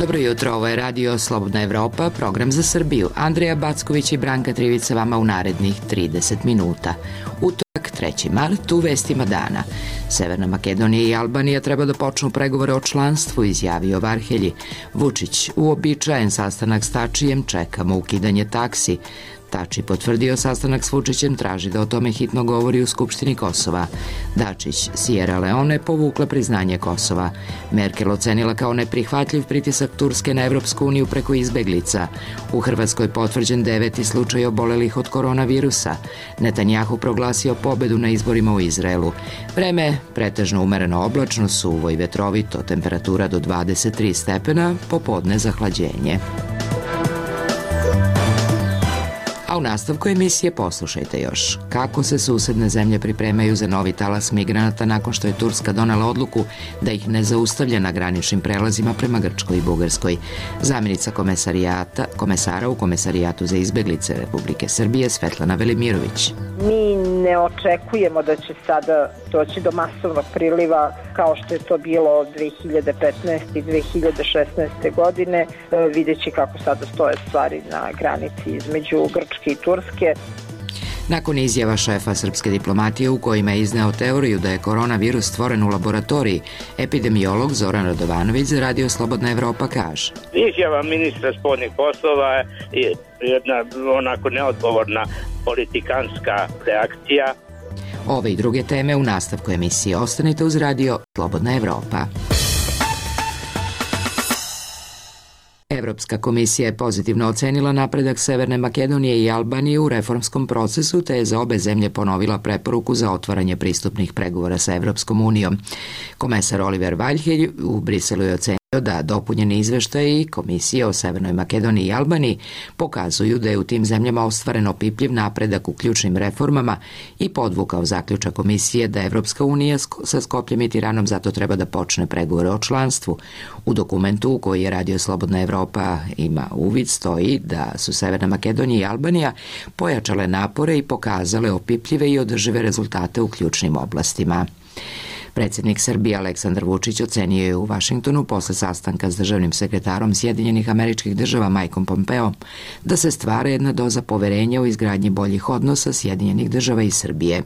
Dobro jutro, ovo je Radio Slobodna Evropa, program za Srbiju. Andreja Backović i Branka Trivica vama u narednih 30 minuta. Utorak, 3. mart, u vestima dana. Severna Makedonija i Albanija treba da počnu pregovore o članstvu, izjavio Varhelji. Vučić, uobičajen sastanak s Tačijem, čekamo ukidanje taksi. Tači potvrdio sastanak s Vučićem, traži da o tome hitno govori u Skupštini Kosova. Dačić, Sierra Leone povukla priznanje Kosova. Merkel ocenila kao neprihvatljiv pritisak Turske na Evropsku uniju preko izbeglica. U Hrvatskoj potvrđen 9. slučaj obolelih od koronavirusa. Netanjahu proglasio pobedu na izborima u Izraelu. Vreme pretežno umereno oblačno, suvo i vetrovito, temperatura do 23 stepena, popodne zahlađenje. A u nastavku emisije poslušajte još kako se susedne zemlje pripremaju za novi talas migranata nakon što je Turska donela odluku da ih ne zaustavlja na graničnim prelazima prema Grčkoj i Bugarskoj. Zamjenica komesara u Komesarijatu za izbeglice Republike Srbije Svetlana Velimirović. Mi ne očekujemo da će sada doći do masovnog priliva kao što je to bilo 2015. i 2016. godine, videći kako sada stoje stvari na granici između Grčke i Turske. Nakon izjava šefa srpske diplomatije u kojima je izneo teoriju da je koronavirus stvoren u laboratoriji, epidemiolog Zoran Radovanović za Radio Slobodna Evropa kaže: Izjava ministra spoljnih poslova je jedna onako neodgovorna politikanska reakcija. Ove i druge teme u nastavku emisije. Ostanite uz Radio Slobodna Evropa. Evropska komisija je pozitivno ocenila napredak Severne Makedonije i Albanije u reformskom procesu, te je za obe zemlje ponovila preporuku za otvaranje pristupnih pregovora sa Evropskom unijom. Komesar Oliver Varhelji u Briselu je ocenio da dopunjeni izveštaji Komisije o Severnoj Makedoniji i Albaniji pokazuju da je u tim zemljama ostvaren opipljiv napredak u ključnim reformama i podvukao zaključak Komisije da Evropska unija sa Skopljem i Tiranom zato treba da počne pregovore o članstvu. U dokumentu u koji je Radio Slobodna Evropa ima uvid stoji da su Severna Makedonija i Albanija pojačale napore i pokazale opipljive i održive rezultate u ključnim oblastima. Predsjednik Srbije Aleksandar Vučić ocenio je u Vašingtonu posle sastanka s državnim sekretarom Sjedinjenih Američkih Država Mikeom Pompeom da se stvara jedna doza poverenja u izgradnji boljih odnosa Sjedinjenih Država i Srbije.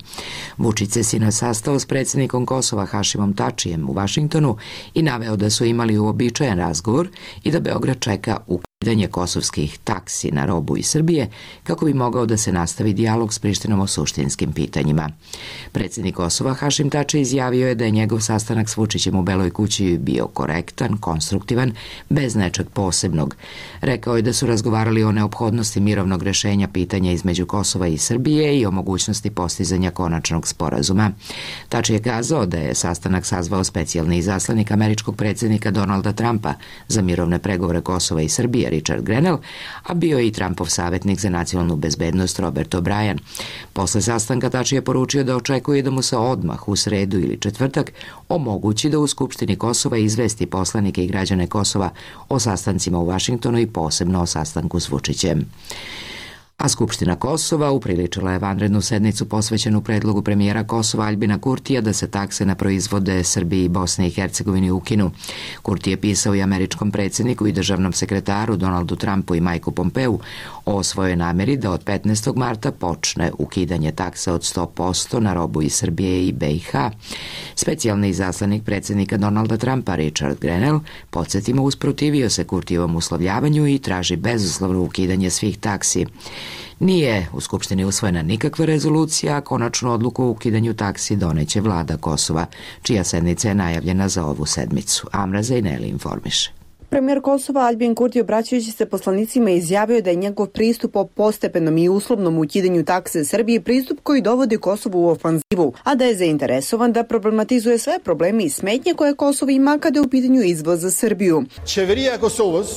Vučić se sinoć sastao s predsjednikom Kosova Hašimom Tačijem u Vašingtonu i naveo da su imali uobičajen razgovor i da Beograd čeka ukidanje kosovskih taksi na robu iz Srbije kako bi mogao da se nastavi dijalog s Prištinom o suštinskim pitanjima. Predsjednik Kosova Hašim Tači izjavio je da je njegov sastanak s Vučićem u Beloj kući bio korektan, konstruktivan, bez nečeg posebnog. Rekao je da su razgovarali o neophodnosti mirovnog rešenja pitanja između Kosova i Srbije i o mogućnosti postizanja konačnog sporazuma. Tači je kazao da je sastanak sazvao specijalni izaslanik američkog predsjednika Donalda Trumpa za mirovne pregovore Kosova i Srbije Richard Grenell, a bio je i Trumpov savjetnik za nacionalnu bezbednost Robert O'Brien. Posle sastanka Tači je poručio da očekuje da mu se odmah u sredu ili četvrtak omogući da u Skupštini Kosova izvesti poslanike i građane Kosova o sastancima u Vašingtonu i posebno o sastanku s Vučićem. A Skupština Kosova upriličila je vanrednu sednicu posvećenu predlogu premijera Kosova Aljbina Kurtija da se takse na proizvode Srbiji, Bosne i Hercegovini ukinu. Kurti je pisao i američkom predsjedniku i državnom sekretaru Donaldu Trumpu i Mikeu Pompeu o svojoj namjeri da od 15. marta počne ukidanje taksa od 100% na robu iz Srbije i BiH. Specijalni izaslanik predsjednika Donalda Trumpa Richard Grenell, podsjetimo, usprotivio se Kurtijevom uslovljavanju i traži bezuslovno ukidanje svih taksi. Nije u Skupštini usvojena nikakva rezolucija, a konačnu odluku o ukidanju taksi doneće vlada Kosova, čija sednica je najavljena za ovu sedmicu. Amra Zajneli informiše. Premijer Kosova Aljbin Kurti, obraćajući se poslanicima, izjavio da je njegov pristup o postepenom i uslovnom ukidanju takse Srbije pristup koji dovodi Kosovo u ofanzivu, a da je zainteresovan da problematizuje sve probleme i smetnje koje Kosovo ima kada je u pitanju izvoz za Srbiju. Qeveria e Kosovës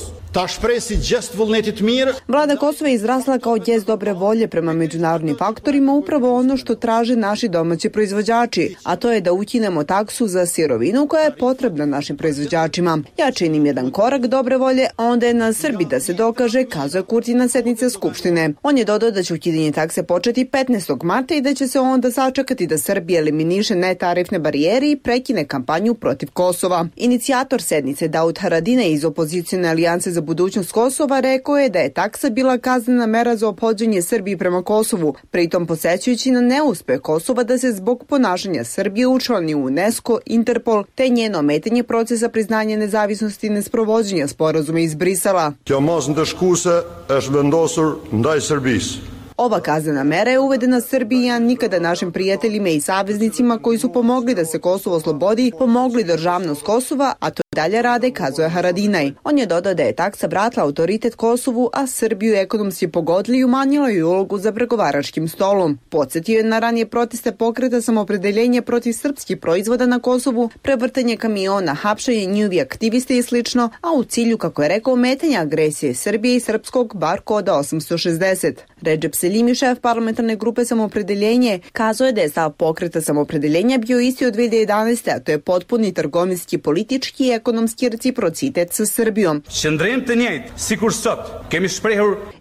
Vlada Kosova je izrasla kao gest dobre volje prema međunarodnim faktorima, upravo ono što traže naši domaći proizvođači, a to je da ukinemo taksu za sirovinu koja je potrebna našim proizvođačima. Ja činim jedan korak dobre volje, a onda je na Srbiji da se dokaže, kazuje Kurti na sednici Skupštine. On je dodao da će ukidanje takse početi 15. marta i da će se onda sačekati da Srbija eliminiše netarifne barijere i prekine kampanju protiv Kosova. Inicijator sednice Daud Haradinaj iz opozicione alijance za budućnost Kosova rekao je da je taksa bila kaznena mera za ophođenje Srbiji prema Kosovu, pritom podsećajući na neuspeh Kosova da se zbog ponašanja Srbije učlani u UNESCO, Interpol, te njeno ometanje procesa priznanja nezavisnosti i nesprovođenja sporazuma iz Brisela. Ova kaznena mera je uvedena Srbiji, a nikada našim prijateljima i saveznicima koji su pomogli da se Kosovo oslobodi, pomogli državnost Kosova, a to dalje rade, kazuje Haradinaj. On je dodao da je taksa vratila autoritet Kosovu, a Srbiju ekonomski pogodila i umanjila ju ulogu za pregovaračkim stolom. Podsjetio je na ranije proteste pokreta Samopredeljenje protiv srpskih proizvoda na Kosovu, prevrtanje kamiona, hapšenje njihovi aktiviste i slično, a u cilju, kako je rekao, ometanja agresije Srbije i srpskog bar koda 860. Redžep Selimi, šef parlamentarne grupe Samopredeljenje, kazuje da je stav pokreta Samopredeljenja bio isti od 2011. a to je potpuni trgovinski, politički i ekonomski reciprocitet sa Srbijom.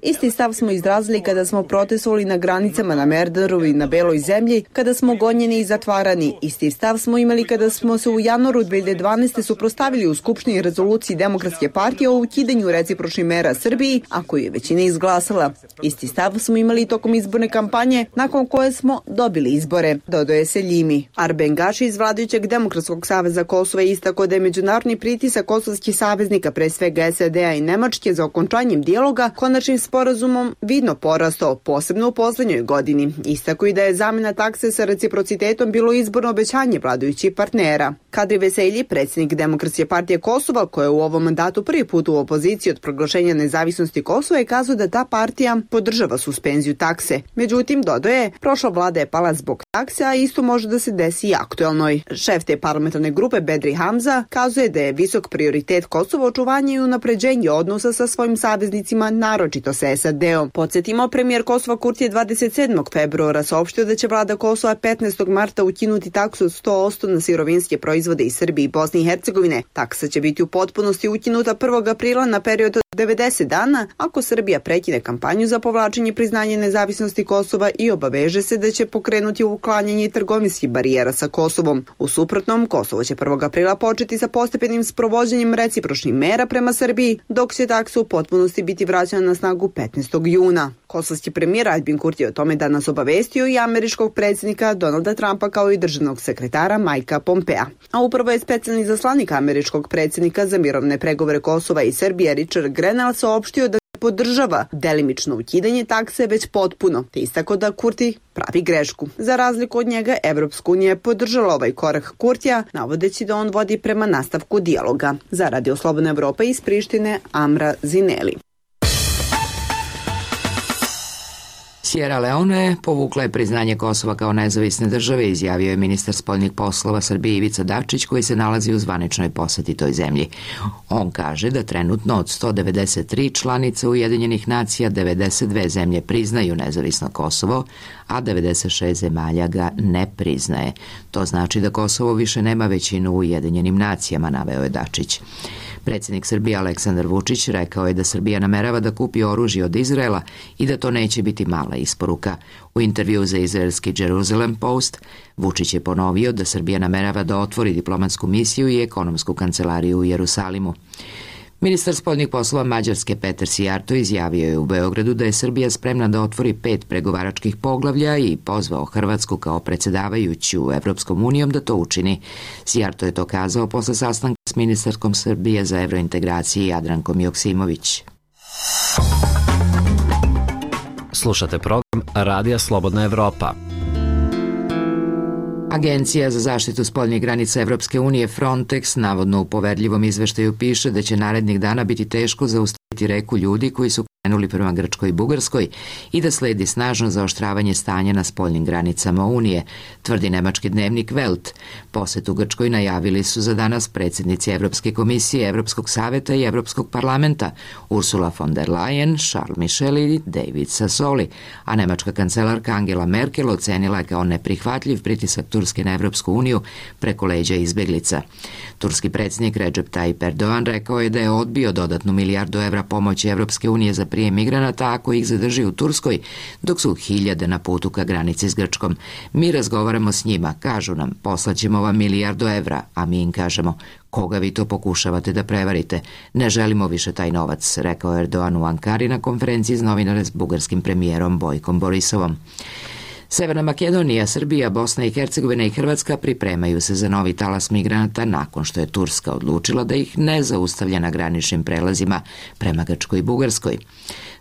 Isti stav smo izrazili kada smo protestovali na granicama na Merdaru i na Beloj zemlji, kada smo gonjeni i zatvarani. Isti stav smo imali kada smo se u januaru 2012. suprotstavili u Skupštini rezoluciji Demokratske partije o ukidanju recipročnih mera Srbiji, a koju je većina izglasala. Isti stav smo imali tokom izborne kampanje, nakon koje smo dobili izbore, dodaje Seljimi. Arben Gaši iz vladajućeg Demokratskog saveza Kosova istakao da je međunarodni pritisak kosovskih saveznika, pre svega SAD-a i Nemačke, za okončanjem dijaloga konačnim sporazumom vidno porastao, posebno u poslednjoj godini. Istakao i da je zamena takse sa reciprocitetom bilo izborno obećanje vladajućih partnera. Kadri Veselji, predsjednik Demokratske partije Kosova, koja je u ovom mandatu prvi put u opoziciji od proglašenja nezavisnosti Kosova, je kazao da ta partija podržava suspenziju takse. Međutim, dodaje, prošla vlada je pala zbog takse, a isto može da se desi i aktuelnoj. Šef te parlamentarne grupe Bedri Hamza kazuje da je visok prioritet Kosova očuvanje i unapređenje odnosa sa svojim saveznicima, naročito sa SAD-om. Podsjetimo, premijer Kosova Kurti je 27. februara saopštio da će vlada Kosova 15. marta ukinuti taksu od 100% na sirovinske proizvode iz Srbije i Bosne i Hercegovine. Taksa će biti u potpunosti ukinuta 1. aprila na period od 90 dana ako Srbija prekine kampanju za povlačenje priznanja nezavisnosti Kosova i obaveže se da će pokrenuti uklanjanje trgovinskih barijera sa Kosovom. U suprotnom, Kosovo će 1. aprila početi sa postepenim sprovođenjem recipročnih mera prema Srbiji, dok će taksa u potpunosti biti vraćana na snagu 15. juna. Kosovski premijer Aljbin Kurti o tome danas obavestio i američkog predsjednika Donalda Trumpa kao i državnog sekretara Majka Pompea. A upravo je specijalni zaslanik američkog predsjednika za mirovne pregovore Kosova i Srbije Richard Grenell saopštio da podržava delimično ukidanje takse već potpuno, te istakao da Kurti pravi grešku. Za razliku od njega, Evropska unija je podržala ovaj korak Kurtija, navodeći da on vodi prema nastavku dijaloga. Za Radio Slobodna Evropa iz Prištine, Amra Zineli. Sierra Leone povukla je priznanje Kosova kao nezavisne države, izjavio je ministar spoljnih poslova Srbije Ivica Dačić, koji se nalazi u zvaničnoj poseti toj zemlji. On kaže da trenutno od 193 članica Ujedinjenih nacija 92 zemlje priznaju nezavisno Kosovo, a 96 zemalja ga ne priznaje. To znači da Kosovo više nema većinu u Ujedinjenim nacijama, naveo je Dačić. Predsjednik Srbije Aleksandar Vučić rekao je da Srbija namerava da kupi oružje od Izraela i da to neće biti mala isporuka. U intervju za izraelski Jerusalem Post, Vučić je ponovio da Srbija namerava da otvori diplomatsku misiju i ekonomsku kancelariju u Jerusalimu. Ministar spoljnih poslova Mađarske Peter Sijarto izjavio je u Beogradu da je Srbija spremna da otvori 5 pregovaračkih poglavlja i pozvao Hrvatsku kao predsjedavajuću Evropskom unijom da to učini. Sijarto je to kazao posle sastanka s ministarkom Srbije za evrointegracije Jadrankom Joksimović. Slušate program Radija Slobodna Evropa. Agencija za zaštitu spoljnih granica Evropske unije Frontex navodno u poverljivom izveštaju piše da će narednih dana biti teško zaustaviti reku ljudi koji su krenuli prema Grčkoj i Bugarskoj i da sledi snažno zaoštravanje stanja na spoljnim granicama Unije, tvrdi nemački dnevnik Welt. Posetu Grčkoj najavili su za danas predsjednici Evropske komisije, Evropskog saveta i Evropskog parlamenta Ursula von der Leyen, Charles Michel i David Sassoli, a nemačka kancelarka Angela Merkel ocenila je kao neprihvatljiv pritisak Turske na Evropsku uniju preko leđa izbeglica. Turski predsjednik Recep Tayyip Erdogan rekao je da je odbio dodatnu milijardu evra pomoći Evropske unije za prijem migranata ako ih zadrži u Turskoj, dok su hiljade na putu ka granici s Grčkom. Mi razgovaramo s njima, kažu nam, poslaćemo vam milijardu evra, a mi im kažemo, koga vi to pokušavate da prevarite? Ne želimo više taj novac, rekao Erdogan u Ankari na konferenciji s novinare s bugarskim premijerom Bojkom Borisovom. Severna Makedonija, Srbija, Bosna i Hercegovina i Hrvatska pripremaju se za novi talas migranata nakon što je Turska odlučila da ih ne zaustavlja na graničnim prelazima prema Grčkoj i Bugarskoj.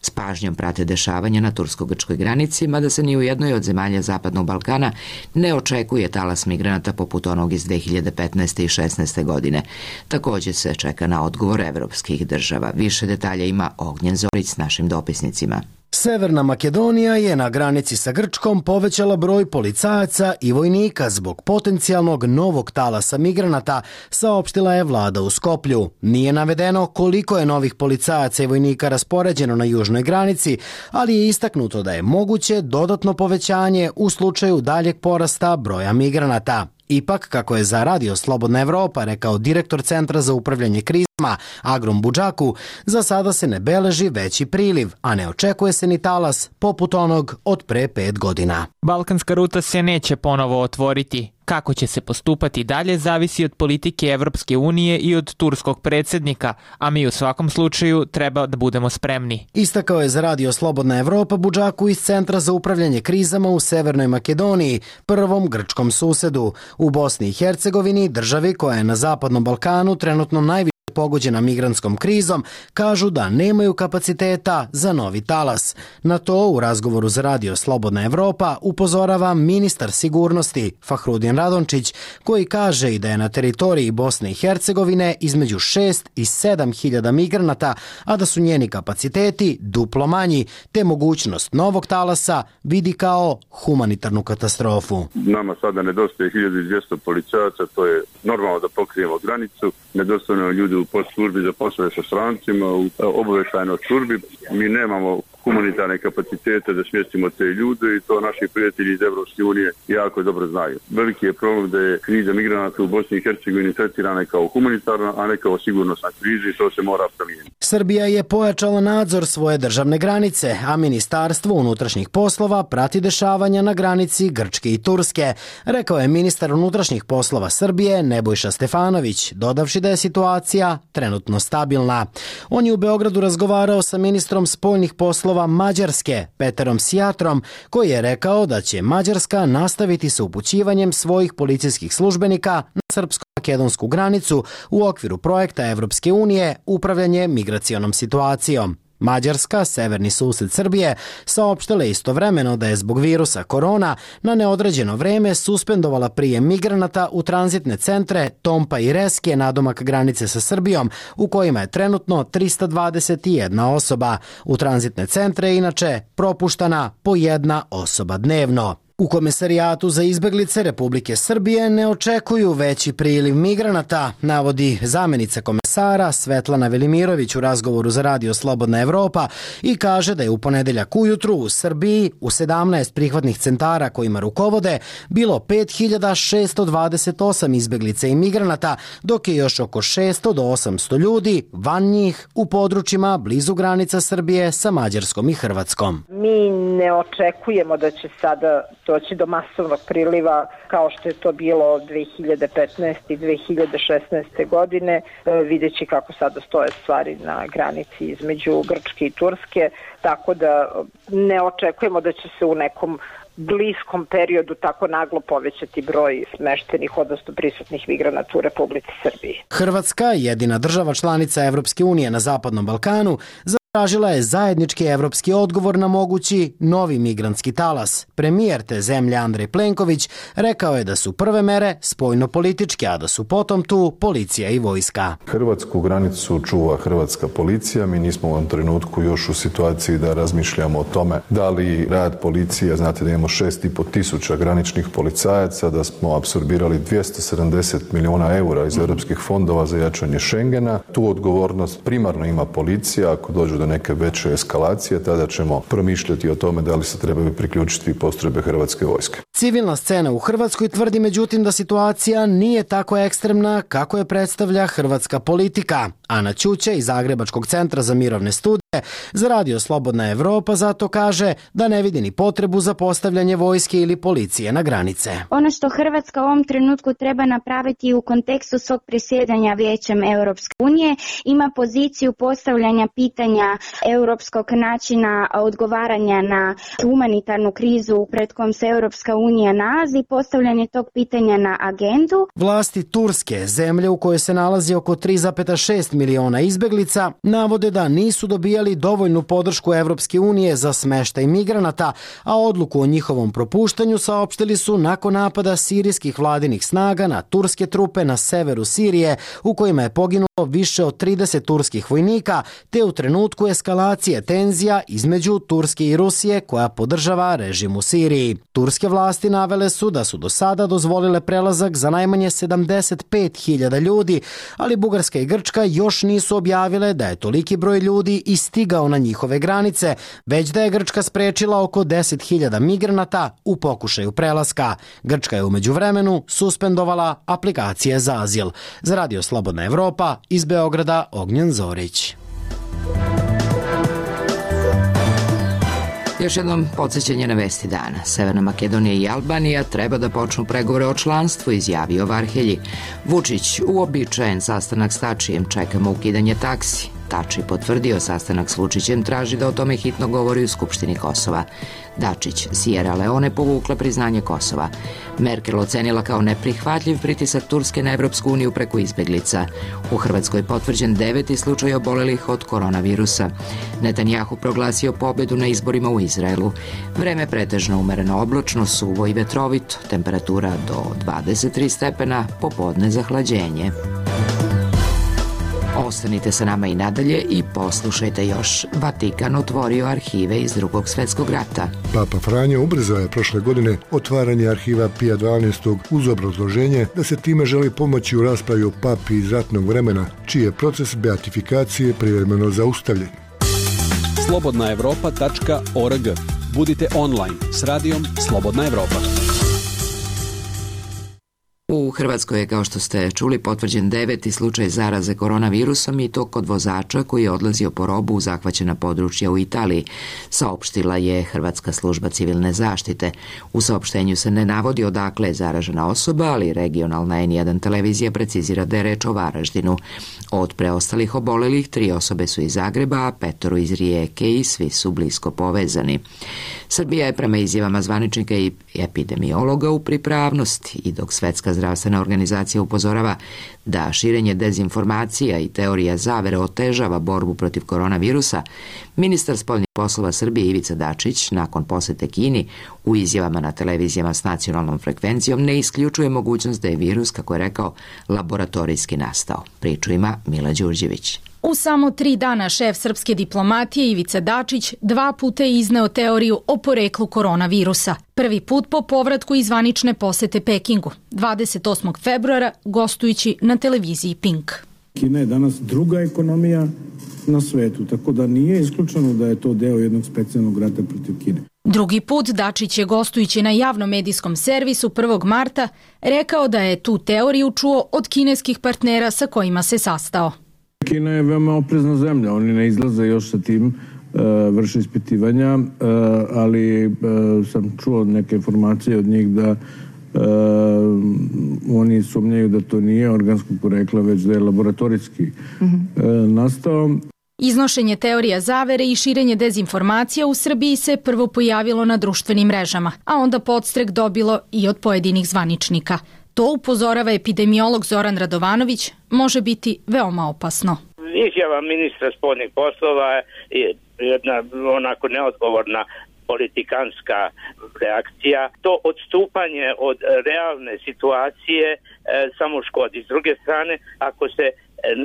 S pažnjom prate dešavanja na tursko-grčkoj granici, mada se ni u jednoj od zemalja Zapadnog Balkana ne očekuje talas migranata poput onog iz 2015. i 16. godine. Također se čeka na odgovor evropskih država. Više detalja ima Ognjen Zorić s našim dopisnicima. Severna Makedonija je na granici sa Grčkom povećala broj policajaca i vojnika zbog potencijalnog novog talasa migranata, saopštila je vlada u Skoplju. Nije navedeno koliko je novih policajaca i vojnika raspoređeno na južnoj granici, ali je istaknuto da je moguće dodatno povećanje u slučaju daljeg porasta broja migranata. Ipak, kako je za Radio Slobodna Evropa rekao direktor Centra za upravljanje krizama Agrom Budžaku, za sada se ne beleži veći priliv, a ne očekuje se ni talas poput onog od pre 5 godina. Balkanska ruta se neće ponovo otvoriti. Kako će se postupati dalje zavisi od politike Evropske unije i od turskog predsjednika, a mi u svakom slučaju treba da budemo spremni. Istakao je za Radio Slobodna Evropa Budžaku iz Centra za upravljanje krizama u Severnoj Makedoniji, prvom grčkom susedu. U Bosni i Hercegovini, državi koja je na Zapadnom Balkanu trenutno najviše pogođena migrantskom krizom, kažu da nemaju kapaciteta za novi talas. Na to u razgovoru za Radio Slobodna Evropa upozorava ministar sigurnosti Fahrudin Radončić, koji kaže i da je na teritoriji Bosne i Hercegovine između 6 i 7 hiljada migranata, a da su njeni kapaciteti duplo manji, te mogućnost novog talasa vidi kao humanitarnu katastrofu. Nama sada nedostaje 1200 policajaca, to je normalno da pokrijemo granicu, nedostaju ljudi u poslužbi za poslove sa strancima, u obavještajnoj službi. Mi nemamo humanitarne kapacitete da smjestimo te ljude i to naši prijatelji iz Evropske unije jako dobro znaju. Veliki je problem da je kriza migranata u Bosni i Hercegovini tretirana kao humanitarna, a ne kao sigurnosna kriza i to se mora promijeniti. Srbija je pojačala nadzor svoje državne granice, a Ministarstvo unutrašnjih poslova prati dešavanja na granici Grčke i Turske, rekao je ministar unutrašnjih poslova Srbije Nebojša Stefanović, dodavši da je situacija trenutno stabilna. On je u Beogradu razgovarao sa ministrom spoljnih poslova Mađarske, Peterom Sjatrom, koji je rekao da će Mađarska nastaviti sa upućivanjem svojih policijskih službenika na srpsko-makedonsku granicu u okviru projekta Evropske unije Upravljanje migracionom situacijom. Mađarska, severni sused Srbije, saopštila istovremeno da je zbog virusa korona na neodređeno vreme suspendovala prijem migranata u tranzitne centre Tompa i Reske nadomak granice sa Srbijom, u kojima je trenutno 321 osoba. U tranzitne centre je inače propuštana po 1 osoba dnevno. U Komesarijatu za izbeglice Republike Srbije ne očekuju veći priliv migranata, navodi zamenica komesara Svetlana Velimirović u razgovoru za Radio Slobodna Evropa i kaže da je u ponedeljak ujutru u Srbiji u 17 prihvatnih centara kojima rukovode bilo 5628 izbeglica i migranata, dok je još oko 600 do 800 ljudi van njih u područjima blizu granica Srbije sa Mađarskom i Hrvatskom. Mi ne očekujemo da će sada doći do masovnog priliva kao što je to bilo 2015. i 2016. godine, videći kako sada stoje stvari na granici između Grčke i Turske, tako da ne očekujemo da će se u nekom bliskom periodu tako naglo povećati broj smeštenih, odnosno prisutnih migranata u Republici Srbiji. Hrvatska, jedina država članica Evropske unije na Zapadnom Balkanu, za tražila je zajednički evropski odgovor na mogući novi migrantski talas. Premijer te zemlje Andrej Plenković rekao je da su prve mere spoljno-političke, a da su potom tu policija i vojska. Hrvatsku granicu čuva hrvatska policija. Mi nismo u ovom trenutku još u situaciji da razmišljamo o tome da li rad policije, znate da imamo 6.500 graničnih policajaca, da smo apsorbirali 270 milijuna eura iz europskih fondova za jačanje Schengena. Tu odgovornost primarno ima policija. Ako dođe do neke veće eskalacije, tada ćemo promišljati o tome da li se trebaju priključiti postrojbe hrvatske vojske. Civilna scena u Hrvatskoj tvrdi međutim da situacija nije tako ekstremna kako je predstavlja hrvatska politika. Ana Ćuće iz Zagrebačkog centra za mirovne studije za Radio Slobodna Evropa zato kaže da ne vidi ni potrebu za postavljanje vojske ili policije na granice. Ono što Hrvatska u ovom trenutku treba napraviti u kontekstu svog predsjedanja Vijećem Europske unije, ima poziciju postavljanja pitanja europskog načina odgovaranja na humanitarnu krizu pred kojom se Europska unija nalazi, postavljanje tog pitanja na agendu. Vlasti Turske, zemlje u kojoj se nalazi oko 3,6 miliona izbeglica, navode da nisu dobijali dovoljnu podršku Evropske unije za smeštaj migranata, a odluku o njihovom propuštanju saopštili su nakon napada sirijskih vladinih snaga na turske trupe na severu Sirije, u kojima je poginulo više od 30 turskih vojnika, te u trenutku eskalacije tenzija između Turske i Rusije koja podržava režim u Siriji. Turske vlasti navele su da su do sada dozvolile prelazak za najmanje 75.000 ljudi, ali Bugarska i Grčka još nisu objavile da je toliki broj ljudi i stigao na njihove granice, već da je Grčka sprečila oko 10.000 migranata u pokušaju prelaska. Grčka je u međuvremenu suspendovala aplikacije za azil. Za Radio Slobodna Evropa, iz Beograda, Ognjen Zorić. Još jednom podsjećanje na vesti dana. Severna Makedonija i Albanija treba da počnu pregovore o članstvu, izjavio Varhelji. Vučić, uobičajen sastanak s Tačijem, čekamo ukidanje taksi. Tači potvrdio sastanak s Vučićem, traži da o tome hitno govori u Skupštini Kosova. Dačić, Sierra Leone povukla priznanje Kosova. Merkel ocenila kao neprihvatljiv pritisak Turske na Evropsku uniju preko izbeglica. U Hrvatskoj potvrđen 9. slučaj obolelih od koronavirusa. Netanjahu proglasio pobedu na izborima u Izraelu. Vreme pretežno umereno oblačno, suvo i vetrovito, temperatura do 23 stepena, popodne zahlađenje. Ostanite sa nama i nadalje i poslušajte još. Vatikan otvorio arhive iz Drugog svjetskog rata. Papa Franjo ubrzao je prošle godine otvaranje arhiva Pija XII. Uz obrazloženje da se time želi pomoći u raspravi o papi iz ratnog vremena, čiji je proces beatifikacije privremeno zaustavljen. slobodnaevropa.org. Budite online s radijom Slobodna Evropa. U Hrvatskoj je, kao što ste čuli, potvrđen 9. slučaj zaraze koronavirusom i to kod vozača koji je odlazio po robu u zahvaćena područja u Italiji, saopštila je Hrvatska služba civilne zaštite. U saopštenju se ne navodi odakle je zaražena osoba, ali regionalna N1 televizija precizira da je reč o Varaždinu. Od preostalih obolelih 3 osobe su iz Zagreba, a 5 iz Rijeke i svi su blisko povezani. Srbija je prema izjavama zvaničnika i epidemiologa u pripravnosti i dok Svetska zdravstvena organizacija upozorava da širenje dezinformacija i teorija zavere otežava borbu protiv koronavirusa, ministar spoljnih poslova Srbije Ivica Dačić nakon posete Kini u izjavama na televizijama s nacionalnom frekvencijom ne isključuje mogućnost da je virus, kako je rekao, laboratorijski nastao. Priču ima Mila Đurđević. U samo 3 dana šef srpske diplomatije Ivica Dačić 2 puta je izneo teoriju o poreklu koronavirusa. Prvi put po povratku iz zvanične posete Pekingu, 28. februara, gostujući na televiziji Pink. Kina je danas druga ekonomija na svetu, tako da nije isključeno da je to deo jednog specijalnog rata protiv Kine. Drugi put Dačić je gostujući na javnom medijskom servisu 1. marta rekao da je tu teoriju čuo od kineskih partnera sa kojima se sastao. Kina je veoma oprezna zemlja, oni ne izlaze još sa tim, vrše ispitivanja, ali sam čuo neke informacije od njih da oni sumnjaju da to nije organskog porekla, već da je laboratorijski nastao. Iznošenje teorija zavere i širenje dezinformacija u Srbiji se prvo pojavilo na društvenim mrežama, a onda podstrek dobilo i od pojedinih zvaničnika. To, upozorava epidemiolog Zoran Radovanović, može biti veoma opasno. Izjava ministra spoljnih poslova jedna onako neodgovorna politikanska reakcija. To odstupanje od realne situacije samo škodi. S druge strane, ako se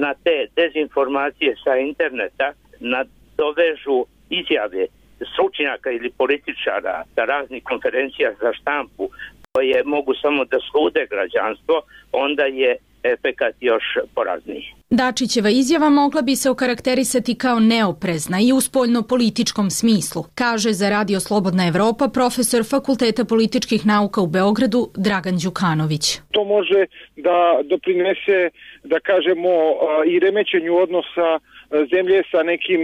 na te dezinformacije sa interneta nadovežu izjave stručnjaka ili političara sa raznih konferencija za štampu koje mogu samo da slude građanstvo, onda je efekat još porazniji. Dačićeva izjava mogla bi se okarakterisati kao neoprezna i u spoljno-političkom smislu, kaže za Radio Slobodna Evropa profesor Fakulteta političkih nauka u Beogradu Dragan Đukanović. To može da doprinese, da kažemo, i remećenju odnosa zemlje sa nekim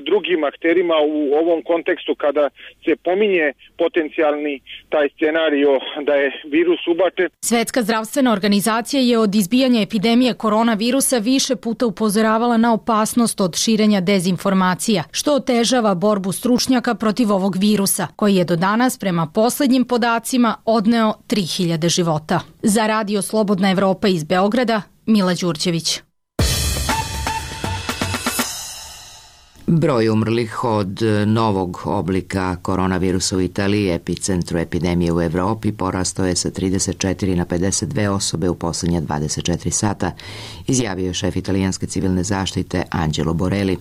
drugim akterima u ovom kontekstu kada se pominje potencijalni taj scenario da je virus ubačen. Svetska zdravstvena organizacija je od izbijanja epidemije koronavirusa više puta upozoravala na opasnost od širenja dezinformacija, što otežava borbu stručnjaka protiv ovog virusa, koji je do danas, prema poslednjim podacima, odneo 3000 života. Za Radio Slobodna Evropa iz Beograda, Mila Đurđević. Broj umrlih od novog oblika koronavirusa u Italiji, epicentru epidemije u Evropi, porastao je sa 34 na 52 osobe u poslednja 24 sata, izjavio je šef italijanske civilne zaštite Angelo Borelli.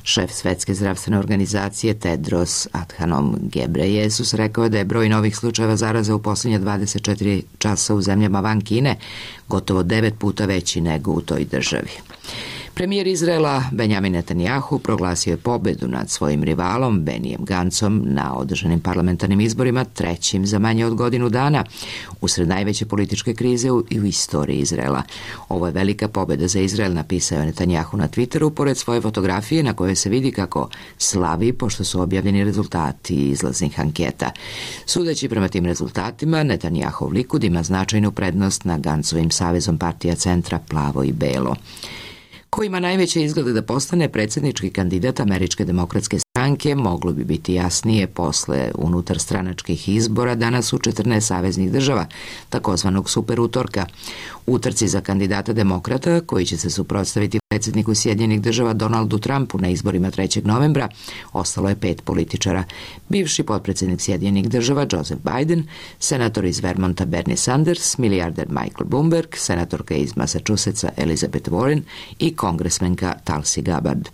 Šef Svetske zdravstvene organizacije Tedros Adhanom Ghebreyesus rekao je da je broj novih slučajeva zaraze u poslednja 24 časa u zemljama van Kine gotovo 9 puta veći nego u toj državi. Premijer Izraela Benjamin Netanjahu proglasio je pobedu nad svojim rivalom Benijem Gancom na održanim parlamentarnim izborima, trećim za manje od godinu dana, usred najveće političke krize u istoriji Izraela. Ovo je velika pobeda za Izrael, napisao je Netanjahu na Twitteru, pored svoje fotografije na kojoj se vidi kako slavi pošto su objavljeni rezultati izlaznih anketa. Sudeći prema tim rezultatima, Netanjahov Likud ima značajnu prednost na Gancovim savezom partija centra Plavo i Belo. Ko ima najveće izglede da postane predsjednički kandidat Američke demokratske stranke, moglo bi biti jasnije posle unutarstranačkih izbora danas u 14 saveznih država, takozvanog super utorka. U trci za kandidata demokrata, koji će se suprotstaviti predsjedniku Sjedinjenih država Donaldu Trumpu na izborima 3. novembra, ostalo je 5 političara. Bivši potpredsjednik Sjedinjenih država Joseph Biden, senator iz Vermonta Bernie Sanders, milijarder Michael Bloomberg, senatorka iz Massachusettsa Elizabeth Warren i kongresmenka Tulsi Gabbard.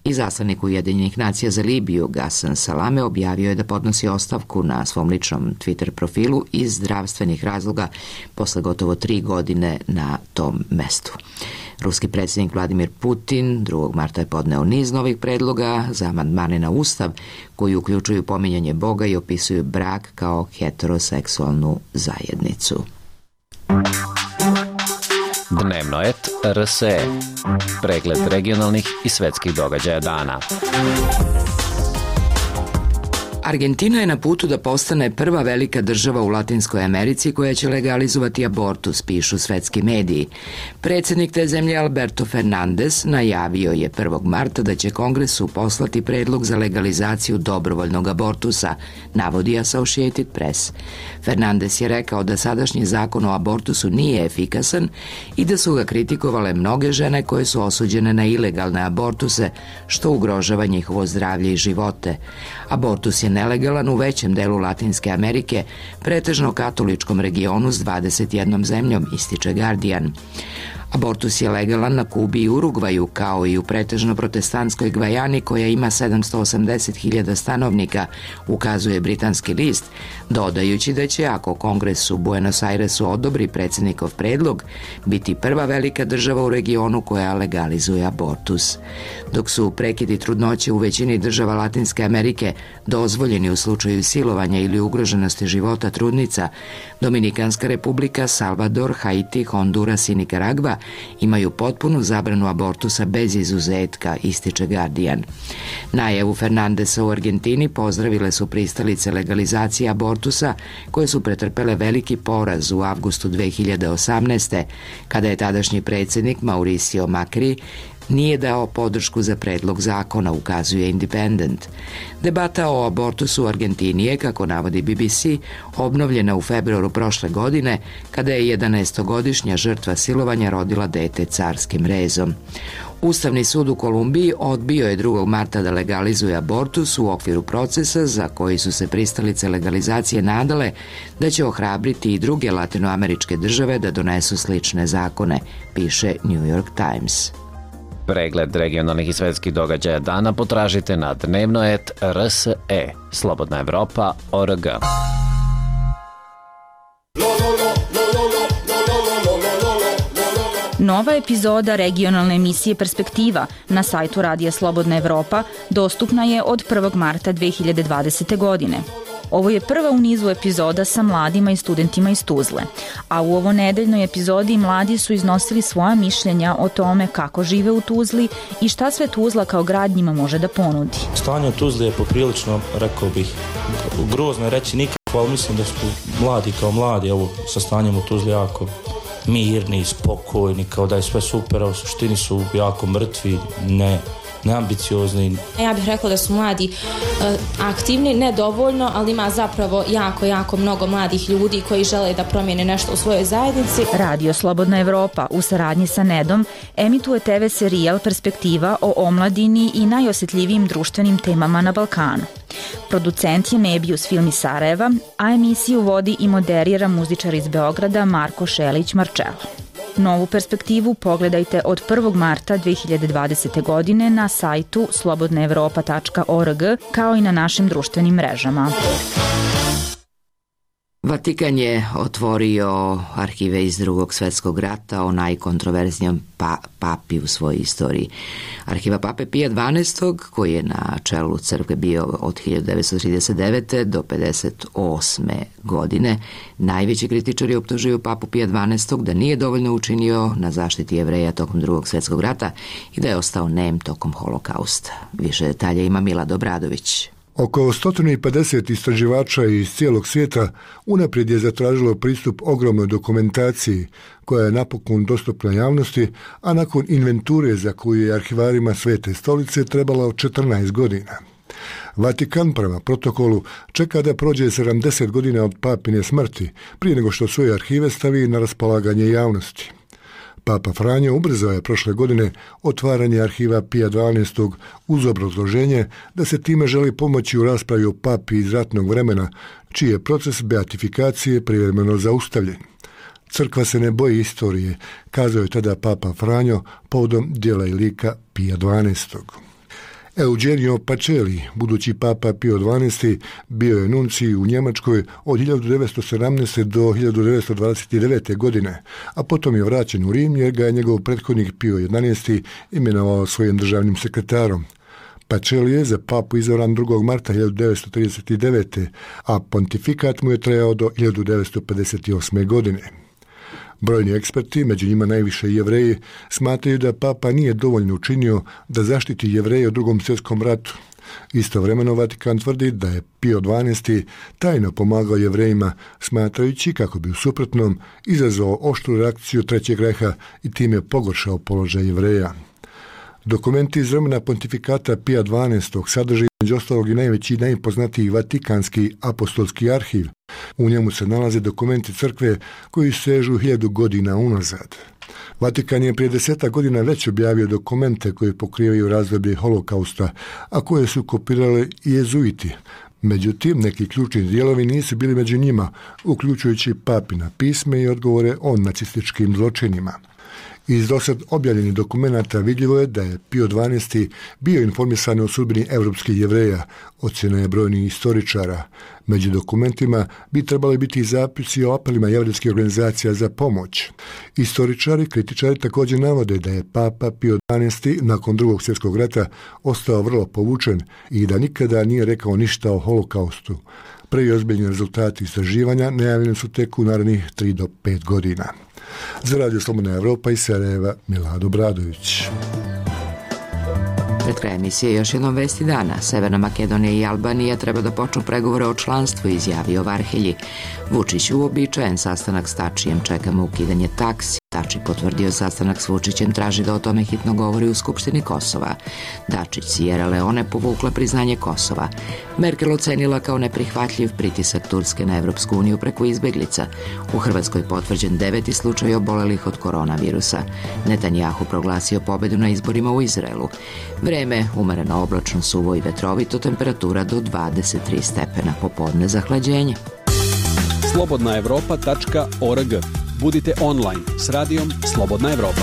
Izaslanik Ujedinjenih nacija za Libiju Ghassan Salame objavio je da podnosi ostavku na svom ličnom Twitter profilu iz zdravstvenih razloga posle gotovo 3 godine na tom mestu. Ruski predsjednik Vladimir Putin 2. marta je podneo niz novih predloga za amandmane na Ustav koji uključuju pominjanje Boga i opisuju brak kao heteroseksualnu zajednicu. Dnevno et RSE. Pregled regionalnih i svetskih događaja dana. Argentina je na putu da postane prva velika država u Latinskoj Americi koja će legalizovati abortus, pišu svetski mediji. Predsjednik te zemlje Alberto Fernandez najavio je 1. marta da će Kongresu poslati predlog za legalizaciju dobrovoljnog abortusa, navodi Associated Press. Fernandez je rekao da sadašnji zakon o abortusu nije efikasan i da su ga kritikovale mnoge žene koje su osuđene na ilegalne abortuse, što ugrožava njihovo zdravlje i živote. Abortus je nelegalan u većem delu Latinske Amerike, pretežno katoličkom regionu s 21 zemljom, ističe Guardian. Abortus je legalan na Kubi i Urugvaju, kao i u pretežno protestantskoj Gvajani koja ima 780.000 stanovnika, ukazuje britanski list, dodajući da će, ako Kongres u Buenos Airesu odobri predsjednikov predlog, biti prva velika država u regionu koja legalizuje abortus. Dok su prekidi trudnoće u većini država Latinske Amerike dozvoljeni u slučaju silovanja ili ugroženosti života trudnica, Dominikanska republika, Salvador, Haiti, Honduras i Nikaragva imaju potpunu zabranu abortusa bez izuzetka, ističe Guardian. Najavu Fernandesa u Argentini pozdravile su pristalice legalizacije abortusa koje su pretrpele veliki poraz u avgustu 2018. kada je tadašnji predsjednik Mauricio Macri nije dao podršku za predlog zakona, ukazuje Independent. Debata o abortusu u Argentini je, kako navodi BBC, obnovljena u februaru prošle godine, kada je 11-godišnja žrtva silovanja rodila dete carskim rezom. Ustavni sud u Kolumbiji odbio je 2. marta da legalizuje abortus u okviru procesa za koji su se pristalice legalizacije nadale da će ohrabriti i druge latinoameričke države da donesu slične zakone, piše New York Times. Pregled regionalnih i svetskih događaja dana potražite na dnevnoet.rse, Slobodna Evropa.org. Nova epizoda regionalne emisije Perspektiva na sajtu Radija Slobodna Evropa dostupna je od 1. marta 2020. godine. Ovo je prva u nizu epizoda sa mladima i studentima iz Tuzle, a u ovo nedeljnoj epizodi mladi su iznosili svoja mišljenja o tome kako žive u Tuzli i šta sve Tuzla kao grad njima može da ponudi. Stanje u Tuzli je poprilično, rekao bih, grozno je reći nikako, ali mislim da su mladi kao mladi, ovo sa stanjem u Tuzli jako mirni, spokojni, kao da je sve super, a u suštini su jako mrtvi, neambiciozni. Ja bih rekla da su mladi aktivni, nedovoljno, ali ima zapravo jako mnogo mladih ljudi koji žele da promijene nešto u svojoj zajednici. Radio Slobodna Evropa u saradnji sa NED-om emituje TV serijal Perspektiva o omladini i najosjetljivijim društvenim temama na Balkanu. Producent je Mebius Film iz Sarajeva, a emisiju vodi i moderira muzičar iz Beograda Marko Šelić-Marčelo. Novu Perspektivu pogledajte od 1. marta 2020. godine na sajtu slobodnaevropa.org kao i na našim društvenim mrežama. Vatikan je otvorio arhive iz Drugog svjetskog rata o najkontroverznijom papi u svojoj istoriji. Arhiva pape Pija XII, koji je na čelu crkve bio od 1939. do 1958. godine, najveći kritičari optužuju papu Pija XII da nije dovoljno učinio na zaštiti Jevreja tokom Drugog svjetskog rata i da je ostao nem tokom holokausta. Više detalja ima Milad Obradović. Oko 150 istraživača iz cijelog svijeta unaprijed je zatražilo pristup ogromnoj dokumentaciji koja je napokon dostupna javnosti, a nakon inventure za koju je arhivarima Svete stolice trebalo 14 godina. Vatikan prema protokolu čeka da prođe 70 godina od papine smrti prije nego što svoje arhive stavi na raspolaganje javnosti. Papa Franjo ubrzao je prošle godine otvaranje arhiva Pija XII uz obrazloženje da se time želi pomoći u raspravi o papi iz ratnog vremena, čiji je proces beatifikacije privremeno zaustavljen. Crkva se ne boji istorije, kazao je tada Papa Franjo povodom djela i lika Pija XII. Eugenio Pacelli, budući papa Pio XII, bio je nuncij u Njemačkoj od 1917. do 1929. godine, a potom je vraćen u Rim jer ga je njegov prethodnik Pio XI imenovao svojim državnim sekretarom. Pacelli je za papu izabran 2. marta 1939. a pontifikat mu je trajao do 1958. godine. Brojni eksperti, među njima najviše Jevreji, smatraju da papa nije dovoljno učinio da zaštiti Jevreje u Drugom svjetskom ratu. Istovremeno Vatikan tvrdi da je Pio XII tajno pomagao Jevrejima, smatrajući kako bi u suprotnom izazvao oštru reakciju Trećeg rejha i time pogoršao položaj Jevreja. Dokumenti iz vremena pontifikata Pija XII sadrže između ostalog i najveći i najpoznatiji Vatikanski apostolski arhiv. U njemu se nalaze dokumenti crkve koji sežu 1000 godina unazad. Vatikan je prije 10 godina već objavio dokumente koji pokrivaju razdoblje holokausta, a koje su kopirali i jezuiti. Međutim, neki ključni dijelovi nisu bili među njima, uključujući papina pisme i odgovore o nacističkim zločinima. Iz dosad objavljenih dokumenata vidljivo je da je Pio XII bio informisan o sudbini evropskih Jevreja, ocjena je brojnih istoričara. Među dokumentima bi trebali biti i zapisi o apelima jevrejskih organizacija za pomoć. Istoričari, kritičari također navode da je papa Pio XII nakon Drugog svjetskog rata ostao vrlo povučen i da nikada nije rekao ništa o holokaustu. Prvi ozbiljni rezultati istraživanja najavljeni su tek u narednih 3 do 5 godina. Za Radio Slobodna Evropa iz Sarajeva, Milad Obradović. Pred kraj emisije još jednom vesti dana. Severna Makedonija i Albanija treba da počnu pregovore o članstvu, izjavio Varhelji. Vučić uobičajen sastanak s Tačijem, čekamo ukidanje taksi. Tači potvrdio sastanak s Vučićem, traži da o tome hitno govori u Skupštini Kosova. Dačić, Sierra Leone povukla priznanje Kosova. Merkel ocenila kao neprihvatljiv pritisak Turske na Evropsku uniju preko izbeglica. U Hrvatskoj potvrđen 9. slučaj obolelih od koronavirusa. Netanjahu proglasio pobedu na izborima u Izraelu. Vreme umereno oblačno, suvo i vetrovito, temperatura do 23 stepena, popodne zahlađenje. slobodnaevropa.org. Budite online s radijom Slobodna Evropa.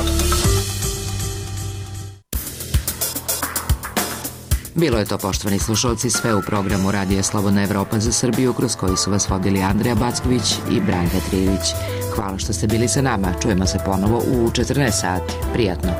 Bilo je to, poštovani slušalci, sve u programu Radija Slobodna Evropa za Srbiju, kroz koji su vas vodili Andreja Backović i Branka Trijević. Hvala što ste bili sa nama. Čujemo se ponovo u 14 sati. Prijatno.